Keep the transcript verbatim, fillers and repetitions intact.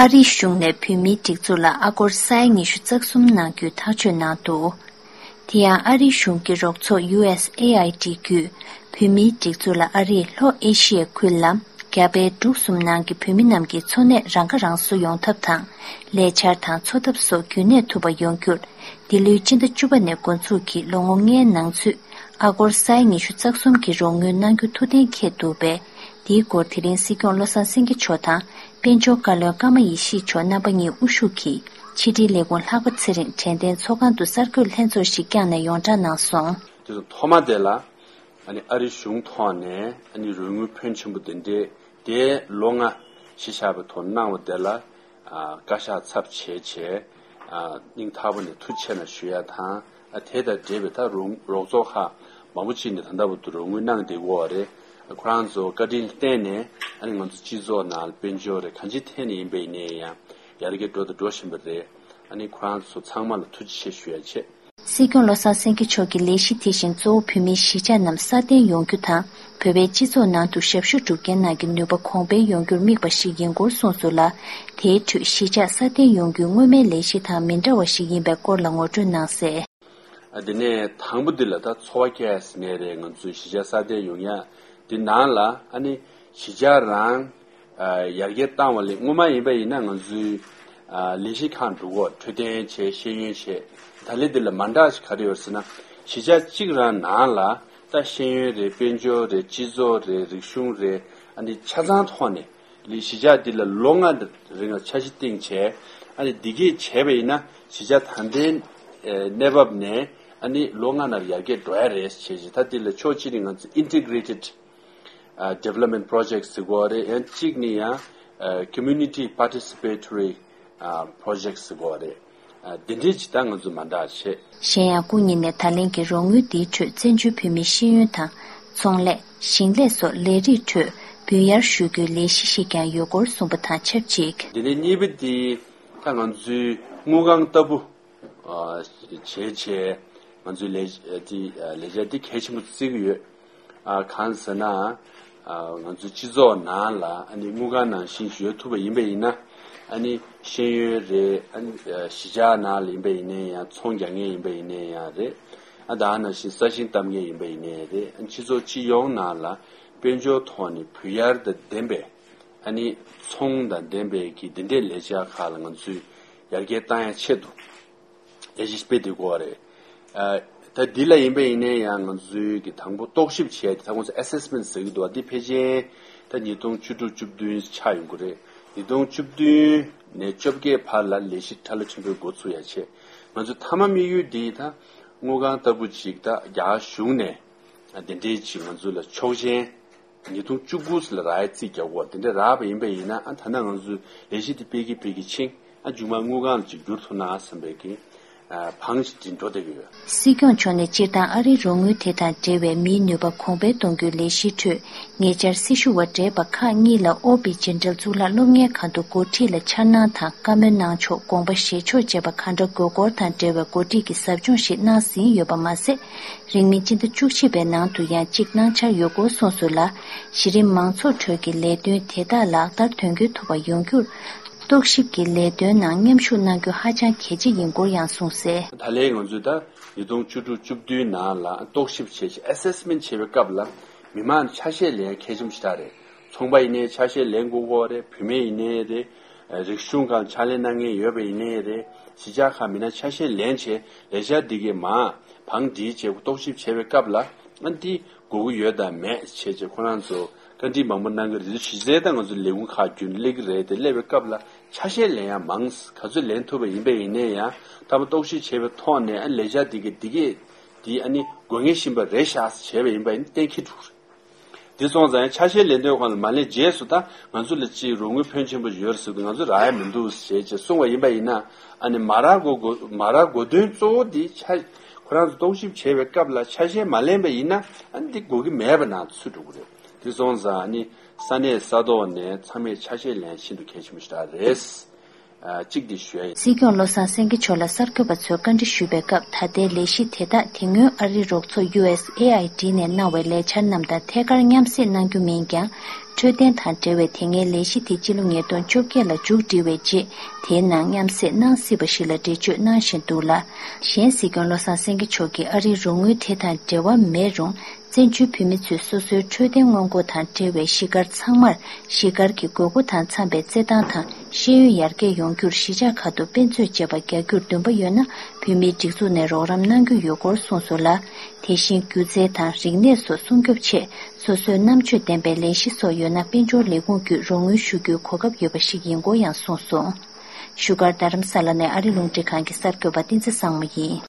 ཨ་རིའི་གཞུང་ནས་བོད་མིའི་སྒྲིག་འཛུགས་ལ་ཨ་སྒོར་ས་ཡ་ཉི་ཤུ་རྩ་གསུམ་གནང་རྒྱུའི་ཐག་གཅོད་གནང་འདུག་དེ་ཡང་ཨ་རིའི་གཞུང་གི་རོགས་ཚོགས་ཡུ་ཨེས་ཨེ་ཨའི་ཌི་བརྒྱུད་བོད་མིའི་སྒྲིག་འཛུགས་ལ་ཨ་རིས་ལྷོ་ཨེ་ཤི་ཡའི་ཁུལ་ལ་རྒྱ་བལ་འབྲུག་གསུམ་ནང་གི་བོད་མི་རྣམས་ཀྱི་འཚོ་གནས་རང་ཁ་རང་གསོ་ཡོང་ཐབས་དང་། ལས་འཆར་དང་འཚོ་ཐབས་སོགས་རྒྱུན་གནས་ཐུབ་པ་ཡོང་རྒྱུར། འདི་ལོའི་སྤྱི་ཟླ་བཅུ་པ་ནས་འགོ་འཛུགས་ཀྱིས་ལོ་ངོ་ལྔའི་ནང་ཚུད་ཨ་སྒོར་ས་ཡ་ཉི་ཤུ་རྩ་གསུམ་གྱི་རོགས་དངུལ་གནང་རྒྱུ་ཐུགས་གཏན་འཁེལ་འདུག་པས། འདིའི་སྐོར་དེ་རིང་སྲིད་སྐྱོང་བློ་བཟང་སེང་གེ་མཆོག་དང་། དཔལ་འབྱོར་བཀའ་བློན་ཀརྨ་ཡེ་ཤེས་མཆོག་རྣམ་པ་གཉིས་དབུ་བཞུགས་ཀྱིས་ཕྱི་དྲིལ་ལས་ཁུངས་ལྷག་པ་ཚེ་རིང་དྲན་རྟེན་ཚོགས་ཁང་དུ་གསར་འགོད་ལྷན་ཚོགས་ཤིག་བསྐྱངས་ནས་ཡོངས་གྲགས་གནང་སོང་། དེ་ཚོ་ཐོག་མ་དེ་ལ་ཨ་ནི་ཨ་རི་གཞུང་ཐོག་ནས་ཨ་ནི་རོགས་དངུལ་ཕོན་ཆེན་པོ་དེ་འདྲས་དེ་ལོ་ལྔ་གཞི་བཞག་པའི་ཐོག་གནང་བ་དེ་ལ་ཨ་བཀའ་ཤག་ཚབ་བྱས་བྱས་ཨ་སྙིང་ཐག་པ་ནས་ཐུགས་རྗེ་ཆེ་གནང་ཞུ་ཡ་དང་། ཨ་དེ་དང་འབྲེལ་བའི་ད་རོགས་རོགས་ཚོགས་ཁག་མང་པོ་ཅིག་ནས་ད་ལྟ་བར་དུ་རོགས་དངུལ་གནང་བསྡད་ཡོད་རེད། ཁོ་རང་ཚོ་བཀའ་དྲིན་བརྟེན་ནས་ཨ་ནི་ང་ཚོ་སྤྱི་ཚོགས་ནང་དཔལ་འབྱོར་རེད་གང་ཅིའི་ཐད་ནས་ཡིན་པ་ཡིན་ནའི་ཡང་ཡར་རྒྱས་འགྲོ་དང་འགྲོ་བཞིན་པ་རེད། ཨ་ནི་ཁོ་རང་ཚོ་ཚང་མ་ལ་ཐུགས་རྗེ་ཆེ་ཞུ་ཡ་བྱེད། སྲིད་སྐྱོང་བློ་བཟང་སེང་གེ་མཆོག་གི་ལས་གཞི་དེ་བཞིན་གཙོ་བོ་བོད་མིའི་གཞིས་ཆགས་རྣམས་སྲ་བརྟན་ཡོང་རྒྱུ་དང་། བོད་པའི་སྤྱི་ཚོགས་ནང་དུ་ཞབས་ཞུ་སྒྲུབ་མཁན་རྣམས་ཀྱི་ནུས་པ་གོང་འཕེལ་ཡོང་རྒྱུར་དམིགས་པ་ཞིག་ཡིན་སྐོར་གསུངས་སོང་ལ། དེའི་ཁྲོད་གཞིས་ཆགས་སྲ་བརྟན་ཡོང་རྒྱུའི་སྔོན་མའི་ལས་གཞི་དང་མི་འདྲ་བ་ཞིག་ཡིན་པའི་སྐོར་ལ་ངོ་སྤྲོད་གནང་གསལ། ཨ་དེ་ནས་དང་པོ་འདི་ལ་ད་འཚོ་བ་སྐྱེལ་ཟེར་ནའི་རེད། ང་ཚོའི་གཞིས་ཆགས་སྲ་བརྟན་ཡོང་ཡ་འདི་ནང་ལ་ཨ་ནི་གཞིས་ཆགས་རང་ཨ་ཡར་རྒྱས་བཏང་བ་ལས་སྔོན་མ་ཡིན་པ་ཡིན་ན་ང་ཚོའི་ཨ་ལས་གཞི་ཁག་འགྲོ་གོ་འཕྲོད་བསྟེན་བྱས་ཤེས་ཡོན་བྱས། ད་ལན་འདི་ལ་མ་འདྲ་ཞིག་ག་རེ་ཡོད་ཟེར་ན་གཞིས་ཆགས་གཅིག་རང་ནང་ལ་ད་ཤེས་ཡོན་རེད་དཔལ་འབྱོར་རེད་སྤྱི་ཚོགས་རེད་རིག་གཞུང་རེད། ཨ་ནི་ཆ་ཚང་ཐོག་ནས་ལས་གཞིས་ཆགས་འདི་ལ་ལོ་ལྔ་རིང་ལ་འཆར་གཞི་བཏིང་བྱས། ཨ་ནི་འདི་གས་བྱས་པ་ཡིན་ན་གཞིས་ཆགས་ད་ལྟའི་གནས་བབ་ནས་ཨ་ནི་ལོ་ལྔ་ནང་ཡར་རྒྱས་འགྲོ་ཡ་རེད་བྱས་ཅིག་ད་འདི་ལ་ཕྱོགས་གཅིག་ནས་ང་ཚོ་Integrated ཨ་Development Project ཟེར་གོ་རེད། ཡང་གཅིག་ནི་ཡང་ཨ་Community Participatory ཨ་Project ཟེར་གོ་རེད། ཨ་འདི་འདྲའི་ཅིག་ད་ང་ཚོ་མ་འདྲ་བྱས། གཞན་ཡང་སྐུ་ཉིད་ནས་ད་ལན་གྱི་རོགས་དངུལ་འདིའི་ཁྲོད་བཙན་བྱོལ་བོད་མིའི་ཤེས་ཡོན་དང་། ཚོང་ལས། ཞིང་ལས་སོགས་ལས་རིགས་ཁྲོད་འབུལ་གཡར་ཞུ་རྒྱུའི་ལས་གཞི་ཞིག་ཀྱང་ཡོད་སྐོར་གསུངས་པ་དང་ཆབས་ཅིག་འདི་ནས་གཉིས་པ་འདི་ད་ང་ཚོའི་དངུལ་ཁང་ལྟ་བུ། ཨ་བྱས་བྱས་ང་ཚོའི་ལས་འདི་ལས་འཆར་འདི་གལ་ཆེན་པོ་བརྩི་གི་ཡོད། ཨ་གང་ཟེར་ན་ཨ་ང་ཚོའི་སྤྱི་ཚོགས་ནང་ལ་ཨ་ནི་དངུལ་ཁང་ནང་བཞིན་ཞིག་ཡོད་ཐུབ་པ་ཡིན་པ་ཡིན་ན་ཨ་ནི་ཤེས་ཡོན་རེད། ཨ་ནི་གཞིས་ཆགས་ནང་ལ་ཡིན་པ་ཡིན་ནའི་ཡང་ཚོང་རྒྱག་མཁན་ཡིན་པ་ཡིན་ནའི་ཡང་རེད། ཨ་ད་ནང་བཞིན་ས་ཞིང་བཏབ་མཁན་ཡིན་པ་ཡིན་ནའི་རེད། ཨ་སྤྱི་ཚོགས་སྤྱི་ཡོངས་ནང་ལ་དཔལ་འབྱོར་ཐོག་ནས་འབུལ་གཡར་དང་ལྡན་པའི་ཨ་ནི་ཚོང་དང་ལྡན་པའི་གི་འདི་འདྲའི་ལས་འཆར་ཁག་ལ་ང་ཚོས་ཡར་རྒྱས་བཏང་ཡ་ཆེད་དུ་ལས་གཞི་སྤེལ་བསྡད་ཀྱི་ཡོད་རེད། ཨ་ད་འདི་ལ་ཡིན་པ་ཡིན་ནའི་ཡང་ང་ཚོའི་གི་དང་པོ་རྟོག་ཞིབ་བྱས་ཏེ་ད་ཁོང་ཚོ་Assessment ཟེར་གྱི་འདུག་བ། འདི་ཕལ་ཆེར་ད་ཉིས་སྟོང་བཅུ་དྲུག་བཅུ་བདུན་ཆགས་ཡོང་གི་རེད། ཉིས་སྟོང་བཅུ་བདུན་ནས་བཅོ་བརྒྱད་བར་ལ་ལས་གཞི་ཁྲ་ལ་ཆེན་པོའི་འགོ་ཚུགས་ཡ་ཆེད་ང་ཚོའི་མཐའ་མ་དམིགས་ཡུལ་འདི་ད་དངུལ་ཁང་ལྟ་བུ་ཅིག་ད་རྒྱ་གཞུང་ནས་ཨ་འདི་འདྲའི་ཅིག་ང་ཚོ་ལ་ཆོག་མཆན། ཉིས་སྟོང་བཅུ་དགུ་ལ་རག་ཡ་རྩིས་རྒྱག་གོ་དེ་འདྲ་རག་པ་ཡིན་པ་ཡིན་ན་ཨ་ད་ནང་ང་ཚོའི་ལས་གཞི་དེ་སྤེལ་གི་སྤེལ་གི་ཕྱིན་ཨ་མཇུག་མ་དངུལ་ཁང་ལ་ཅིག་བསྒྱུར་ཐུབ་ན་བསམ་པའི་གི་ཨ་བང་ཞིག་འདི་འགྲོ་བསྡད་གི་ཡོད། སྲིད་སྐྱོང་མཆོག་ནས་སྤྱིར་བཏང་ཨ་རིའི་རོགས་དངུལ་དེ་དང་འབྲེལ་བའི་མིའི་ནུས་པ་གོང་འཕེལ་གཏོང་རྒྱུའི་ལས་གཞིའི་ཁྲོད་ཉེ་ཆར་སྲི་ཞུ་བ་བགྲེས་པ་ཁག་གཉིས་ལ་ཨོ་པི་ཇི་འབྲེལ་གཙུག་ལག་སློབ་གཉེར་ཁང་དུ་འགོ་ཁྲིད་ལ་འཆར་སྣང་དང་བཀའ་མོལ་གནང་ཕྱོགས་དགོངས་པ་བཞེས་ཕྱོགས་བཅས་པ་གང་འདྲ་དགོས་སྐོར་དང་འབྲེལ་བའི་འགོ་ཁྲིད་ཀྱི་ཟབ་སྦྱོང་ཞིག་གནང་ཟིན་ཡོད་པ་མ་ཟད། རིང་མིན་སྤྱི་ཟླ་བཅུ་གཅིག་པའི་ནང་དུ་ཡང་གཅིག་གནང་འཆར་ཡོད་སྐོར་གསུངས་སོང་ལ། གཞི་རིམ་མང་ཚོགས་ཁྲོད་ཀྱི་ལས་དོན་དེ་དག་ལག་བསྟར་དོན་འཁྱོལ་ཐུབ་པ་ཡོང་རྒྱུར། རྟོག་ཞིབ་ཀྱི་ལས་དོན་ནང་མཉམ་ཞུགས་གནང་རྒྱུ་ཧ་ཅང་གལ་ཆེ་ཡིན་སྐོར་ཡང་གསུངས་གསལ། ད་ལན་ང་ཚོས་ད་ཉིས་སྟོང་བཅུ་དྲུག་བཅུ་བདུན་ནང་ལ་རྟོག་ཞིབ་བྱས་ཤིང་Assessment བྱེད་པའི་སྐབས་ལ་མི་མང་ཆ་ཤས་ལེན་ཡ་གལ་ཆེན་པོ་ཞིག་ད་རེད། ཚོང་པ་ཡིན་ནའི་ཆ་ཤས་ལེན་དགོས་ཀྱི་རེད། བུད་མེད་ཡིན་ནའི་རེད། རིག་གཞུང་སྒང་ཕྱག་ལས་གནང་མཁན་ཡོད་པ་ཡིན་ནའི་རེད། གཞིས་ཆགས་ཁག་མི་སྣ་ཆ་ཤས་ལེན་བྱས་ལས་འཆར་འདི་གའི་མ་བང་སྒྲིག་བྱས་རྟོག་ཞིབ་བྱས་པའི་སྐབས་ལ་ཨ་འདི་དགོས་ཀྱི་ཡོད་དམ་མེད་བྱས་བྱས་ཁོ་རང་ཚོ་བཀའ་འདྲི་མང་པོ་གནང་གི་རེད། གཞི་རྩའི་ད་ང་ཚོ་ལས་ཁུངས་ཁག་རྒྱུན་སླེབས་ཀྱི་རེད་དེ་སླེབས་པའི་སྐབས་ལ་ཆ་ཤས་ལེན་ཡ་མང་ག་ཚོད་ལེན་ཐུབ་པ་ཡིན་པ་ཡིན་ནའི་ཡང་ད་མ་རྟོག་ཞིབ་བྱས་པའི་ཐོག་ནས་ཨ་ལས་འཆར་འདི་གའི་འདི་གའི་འདི་ཨ་ནི་དགོས་ངེས་བཞིན་པ་རེད་ཤག་བྱས་པ་ཡིན་པ་ཡིན་གཏན་འཁེལ་འགྲོ་གི་རེད། དེ་སོང་ཙང་ཡང་ཆ་ཤས་ལེན་དོན་སྒང་ལ་མ་ལེན་རྗེས་སུ་ད་ང་ཚོ་ལ་ཅིག་རོགས་དངུལ་ཕོན་ཆེན་པོ་ཡོད་ཟེར་དུས་ང་ཚོ་རག་ཡ་མི་འདུག་ཞེས་ཅིག་གསུངས་པ་ཡིན་པ་ཡིན་ན་ཨ་ནི་མ་རག་དགོས་དགོས་མ་རག་དགོས་དོན་གཙོ་བོ་འདི་ཆ་ཁོ་རང་ཚོ་རྟོག་ཞིབ་བྱེད་པའི་སྐབས་ལ་ཆ་ཤས་མ་ལེན་པ་ཡིན་ན་ཨ་ནི་འདི་དགོས་ཀྱི་མེད་པ་ནང་ཚུད་འགྲོ་གི་རེད། དེ་སོང་ཙང་ཨ་ནི་ས་གནས་ས་ཐོག་ནས་ཚང་མས་ཆ་ཤས་ལེན་ཤིན་ཏུ་གལ་ཆེན་པོ་ཞིག་རེད། ཨ་གཅིག་འདི་ཞུ་ཡ་ཡིན། སྲིད་སྐྱོང་བློ་བཟང་སེང་གེ་མཆོག་ལ་གསར་འགོད་པ་ཚོས་བཀའ་འདྲི་ཞུས་པའི་སྐབས་ད་ལྟའི་ལས་གཞི་དེ་དག་དེ་སྔོན་ཨ་རིའི་རོགས་ཚོགས་ཡུ་ཨེས་ཨེ་ཨའི་ཌི་ནས་གནང་བའི་ལས་འཆར་རྣམས་དང་ཐད་ཀར་མཉམ་བསྲེས་གནང་རྒྱུ་མིན་ཀྱང་། འཕྲོད་བསྟེན་དང་འབྲེལ་བའི་དེ་སྔའི་ལས་གཞི་དེ་སྤྱི་ལོ་ཉིས་སྟོང་བཅོ་བརྒྱད་ལ་མཇུག་སྒྲིལ་བའི་རྗེས། དེའི་ནང་མཉམ་བསྲེས་གནང་སྲིད་པ་ཞིག་ལ་འགྲེལ་བརྗོད་གནང་བཞིན་འདུག་ལ། གཞན་སྲིད་སྐྱོང་བློ་བཟང་སེང་གེ་མཆོག་གིས་ཨ་རིའི་རོགས་དངུལ་དེ་དང་འབྲེལ་བ་མེད་རུང་། བཙན་བྱོལ་བོད་མི་ཚོས་སོ་སོའི་འཕྲོད་བསྟེན་སྔོན་འགོག་དང་འབྲེལ་བའི་གཞིས་སྒར་ཚང་མར་གཞིས་སྒར་གྱི་དགོས་མཁོ་དང་འཚམ་པའི་རྩེད་ཐང་དང་ཤེས་ཡོན་ཡར་རྒྱས་ཡོང་རྒྱུར་གཞིས་ཆགས་ཁག་ཏུ་དཔེ་མཛོད་ཅེས་པ་རྒྱག་རྒྱུར་འདུན་པ་ཡོད་ན། བོད་མིའི་སྒྲིག་འཛུགས་ནས་རོགས་རམ་གནང་རྒྱུ་ཡོད་སྐོར་གསུངས་སོང་ལ། དེ་བཞིན་སྒྱུ་རྩལ་དང་རིག་གནས་སོགས་སྲུང་སྐྱོབ་ཆེད་སོ་སོའི་རྣམ་དཔྱོད་ལྡན་པའི་ལས་གཞི་སོགས་ཡོད་ན། དཔལ་འབྱོར་ལས་ཁུངས་བརྒྱུད་རོགས་དངུལ་ཞུ་རྒྱུའི་གོ་སྐབས་ཡོད་པ་ཞིག་ཡིན་སྐོར་ཡང་གསུངས་སོང་། བཞུགས་སྒར་རྡ་རམ་ས་ལ་ནས་ཨ་རི་རླུང་འཕྲིན་ཁང་གི་གསར་འགོད་པ་བསྟན་འཛིན་བཟང་མོ་ཡིན།